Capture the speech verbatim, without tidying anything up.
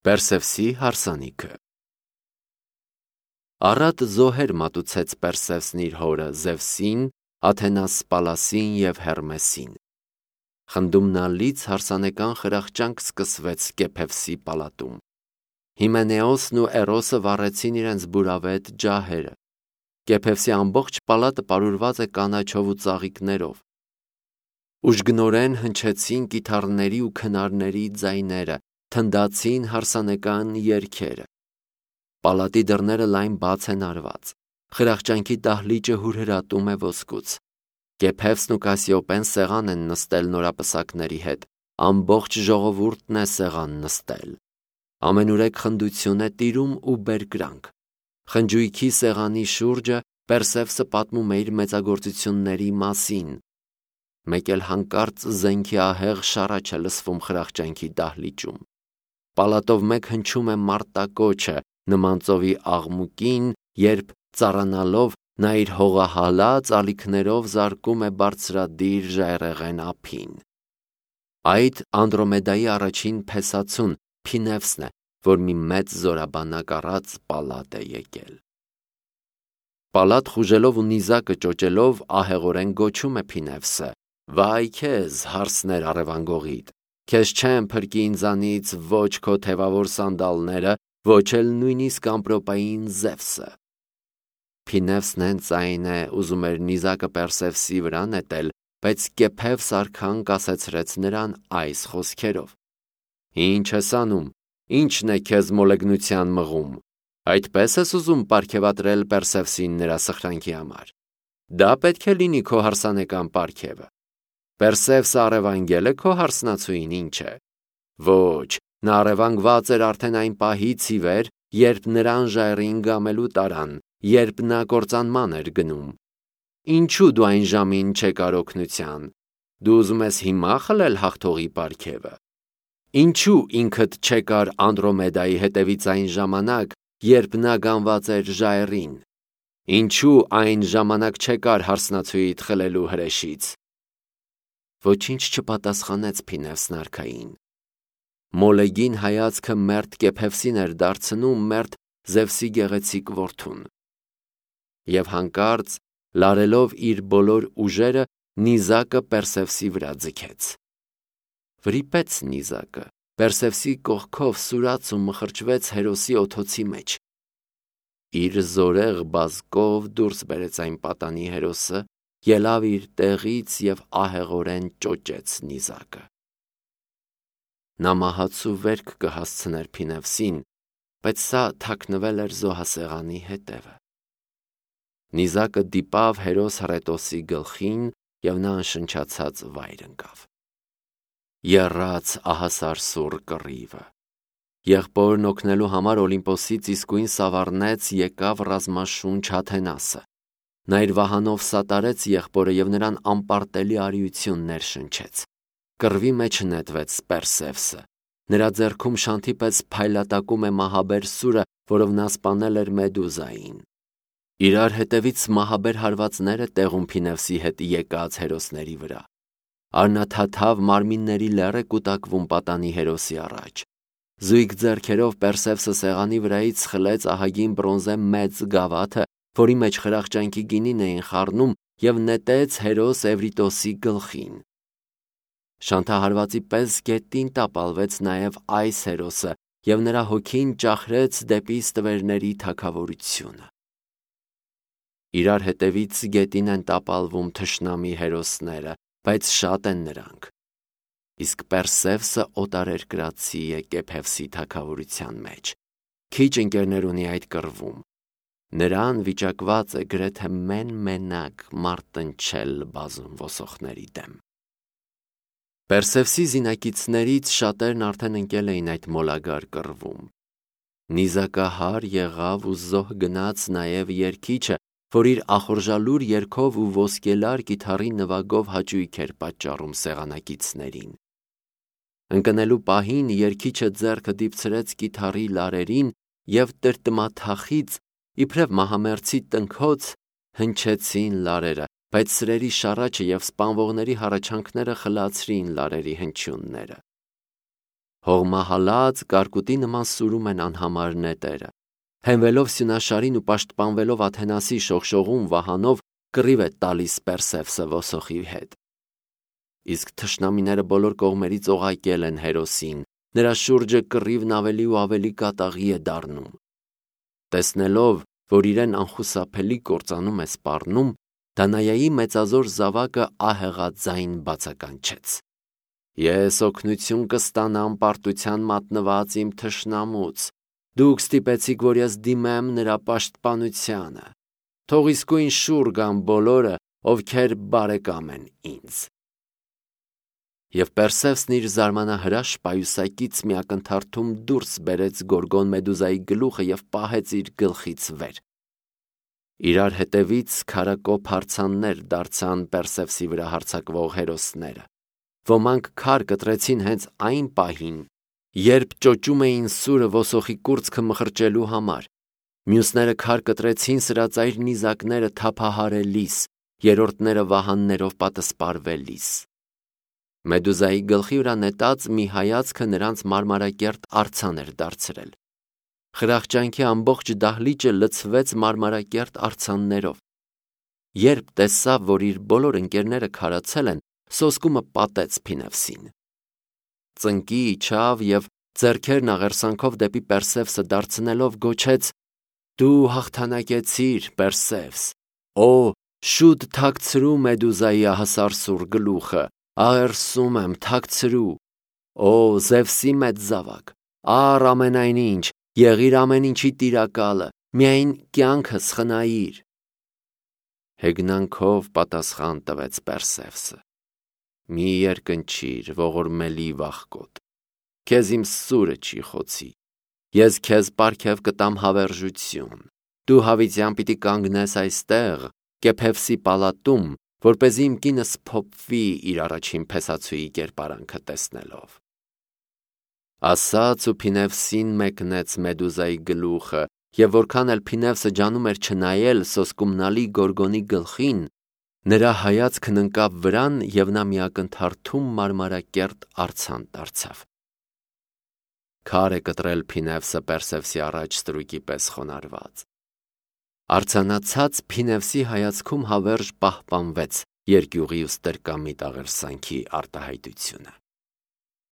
Պերսևսի հարսանիքը Առատ զոհեր մատուցեց Պերսևսն իր հորը Զևսին, Աթենաս Պալասին և Հերմեսին։ Խնդումնալից հարսանեկան խրախճանք սկսվեց Կեփևսի պալատում։ Հիմենեոսն ու Էրոսը վառեցին իրենց բուրավետ ջահերը։ Կեփևսի ամբողջ պալատը պարուրված է կանաչով ու ծաղիկներով։ Ուժգնորեն հնչեցին կիթառների ու քնարների ձայները, թնդացին հարսանեկան երգերը։ Պալատի դռները լայն բաց են արված։ Խրախճանքի դահլիճը հուրհրատում է ոսկուց։ Կեփևսն ու Կասիոպեն սեղան են նստել նորապսակների հետ։ Ամբողջ ժողովուրդն է սեղան նստել։ Ամենուրեք խնդություն է տիրում ու բերկրանք։ Խնջույքի սեղանի շուրջը Պերսևսը պատմում է իր մեծագործությունների մասին։ Մեկ էլ հանկարծ զենքի ահեղ շառաչ է լսվում խրախճանքի դահլիճում։ Պալատով մեկ հնչում է մարտակոչը նման ծովի աղմուկին, երբ ծառանալով նա իր հողահալած ալիքներով զարկում է բարձրադիր ժայռերեն ափին։ Այդ Անդրոմեդայի առաջին փեսացուն Փինևսն է, որ մի մեծ զորաբանակ առած պալատ է եկել։ Պալատ խուժելով ու նիզակը ճոճելով ահեղորեն գոչում է Փինևսը. «Վայ քեզ, հարսներ առևանգողիդ, քեզ չեմ փրկի ինձանից ոչ քո թևավոր սանդալները, ոչ էլ նույնիսկ ամպրոպային Զևսը»։ Փինևսն հենց այն է, ուզում էր նիզակը Պերսևսի վրա նետել, բայց Կեփևս արքան կասեցրեց նրան այս խոսքերով. «Ինչ ես անում, ի՞նչն է քեզ մոլեգնության մղում, այդպես ես ուզում պարգևատրել Պերսևսին նրա սխրանքի համար։ Դա պետք է լինի քո հարսանեկան պարգևը։ Պերսևսը առևանգել է քո հարսնացուին, ինչ է։ Ոչ, նա առևանգված էր արդեն այն պահից ի վեր, երբ նրան ժայռին գամելու տարան, երբ նա կործանման էր գնում։ Ինչու դու այն ժամին չեկար օգնության։ Դու ուզում ես հիմա խլել հաղթողի պարգևը։ Ինչու ինքդ չեկար Անդրոմեդայի հետևից այն ժամանակ, երբ նա գանված էր ժայռին։ Ինչու այն ժամանակ չեկար հարսնացուիդ խլելու հրեշից»։ Ոչինչ չպատասխանեց Փինևսն արքային։ Մոլեգին հայացքը մերթ Կեփևսին էր դարձնում մերթ Զևսի գեղեցիկ որդուն։ Եվ հանկարծ, լարելով իր բոլոր ուժերը, նիզակը Պերսևսի վրա ձգեց։ Վրիպեց նիզակը, Պերսևսի կողքով սուրաց ու մխրճվեց հերոսի օդոցի մեջ։ Իր զորեղ բազկով դուրս բերեց այն պատանի հերոսը, ելավ իր տեղից և ահեղորեն ճոճեց նիզակը։ Նա մահացու վերք կհասցներ Փինևսին, բայց սա թաքնվել էր զոհասեղանի հետևը։ Նիզակը դիպավ հերոս Հռետոսի գլխին, և նա անշնչացած վայր ընկավ։ Եռաց ահասարսուռ կռիվը։ Եղբորն օգնելու համար Օլիմպոսից իսկույն սավառնեց եկավ ռազմաշունչ Աթենասը։ Նա իր վահանով սատարեց եղբորը և նրան անպարտելի արիություն ներշնչեց։ Կռվի մեջ նետվեց Պերսևսը։ Նրա ձեռքում շանթի պես փայլատակում է մահաբեր սուրը, որով նա սպանել էր Մեդուզային։ Իրար հետևից մահաբեր հարվածները տեղում Փինևսի հետ եկած հերոսների վրա։ Արնաթաթավ մարմինների լեռ է կուտակվում պատանի հերոսի առաջ։ Զույգ ձեռքերով Պերսևսը սեղանի վրայից խլեց ահագին բրոնզե մեծ գավաթը, որի մեջ խրախճանքի գինին էին խառնում, և նետեց հերոս Էվրիտոսի գլխին։ Շանթահարվածի պես գետին տապալվեց նաև այս հերոսը, և նրա հոգին ճախրեց դեպի ստվերների թագավորությունը։ Իրար հետևից գետին են տապալվում թշնամի հերոսները, բայց շատ են նրանք։ Իսկ Պերսևսը օտարերկրացի է Կեփևսի թագավորության մեջ։ Քիչ ընկերներ ունի այդ կռվում։ Նրան վիճակված է գրեթե մեն-մենակ մարտնչել բազում ոսողների դեմ։ Պերսևսի զինակիցներից շատերն արդեն ընկել էին այդ մոլագար կռվում։ Նիզակահար եղավ ու զոհ գնաց նաև երգիչը, որ իր ախորժալուր երգով ու ոսկելար կիթառի նվագով հաճույք էր պատճառում սեղանակիցներին։ Ընկնելու պահին երգիչը ձեռքը դիպցրեց կիթառի լարերին և տրտմաթախից, իբրև մահամերձի տնքոց, հնչեցին լարերը, բայց սրերի շառաչը և սպանվողների հառաչանքները խլացրին լարերի հնչյունները։ Հողմահալած կարկուտի նման սուրում են անհամար նետերը։ Հենվելով սյունաշարին ու պաշտպանվելով Աթենասի շողշողուն վահանով կռիվ է տալիս Պերսևսը ոսոխի հետ։ Իսկ թշնամիները բոլոր կողմերից օղակել են հերոսին, նրա շուրջը կռիվն ավելի ու ավելի կատաղի է դառնում։ Տեսնելով, որ իրեն անխուսափելի կործանում է սպառնում, Դանայայի մեծազոր զավակը ահեղաձայն բացականչեց. Ես օգնություն կստանամ պարտության մատնված իմ թշնամուց, դուք ստիպեցիք, որ ես դիմեմ նրա պաշտպանությանը, թող իսկույն շուռ գան բոլորը, ովքեր բարեկամ են ինձ։ Եվ Պերսևսն իր զարմանահրաշ պայուսակից մի ակնթարթում դուրս բերեց Գորգոն Մեդուզայի գլուխը և պահեց իր գլխից վեր։ Իրար հետևից քարակոփ հարձաններ դարձան Պերսևսի վրա հարձակվող հերոսները։ Ոմանք քար կտրեցին հենց այն պահին, երբ ճոճում էին սուրը ոսոխի կուրծքը մխրճելու համար, մյուսները քար կտրեցին սրածայր նիզակները թափահարելիս, երրորդները վահաններով պատսպարվելիս։ Մեդուզայի գլխի վրա նետած մի հայացքը նրանց մարմարակերտ արձան էր դարձրել։ Խրախճանքի ամբողջ դահլիճը լցվեց մարմարակերտ արձաններով։ Երբ տեսավ, որ իր բոլոր ընկերները քարացել են, սոսկումը պատեց Փինևսին։ Ծնկի իջավ և ձեռքերն աղերսանքով դեպի Պերսևսը դարձնելով գոչեց. Դու հաղթանակեցիր, Պերսևս, օ, շուտ թաքցրու Մեդուզայի ահասարսուռ գլուխը, աղերսում եմ, թաքցրու, օ, Զևսի մեծ զավակ, առ ամենայնինչ, եղիր ամեն ինչի տիրակալը, միայն կյանքս խնայիր։ Հեգնանքով պատասխան տվեց Պերսևսը. Մի երկնչիր, ողորմելի վախկոտ, քեզ իմ սուրը չի խոցի, ես քեզ պարգև կտամ հավերժություն, դու հավիտյան պիտի կանգնես այստեղ, Կեփևսի պալատում, որպեսզի իմ կինս փոփվի իր առաջին փեսացուի կերպարանքը տեսնելով։ Ասաց ու Փինևսին մեկնեց Մեդուզայի գլուխը, և որքան էլ Փինևսը ջանում էր չնայել սոսկումնալի Գորգոնի գլխին, նրա հայացքն ընկավ վրան և նա մի ակնթարթում մարմարակերտ արձան դարձավ։ Քար է կտրել Փինևսը Պերսևսի առաջ ստրուկի պես խոնարհված։ Արձանացած Փինևսի հայացքում հավերժ պահպանվեց երկյուղի ու ստրկամիտ աղերսանքի արտահայտությունը։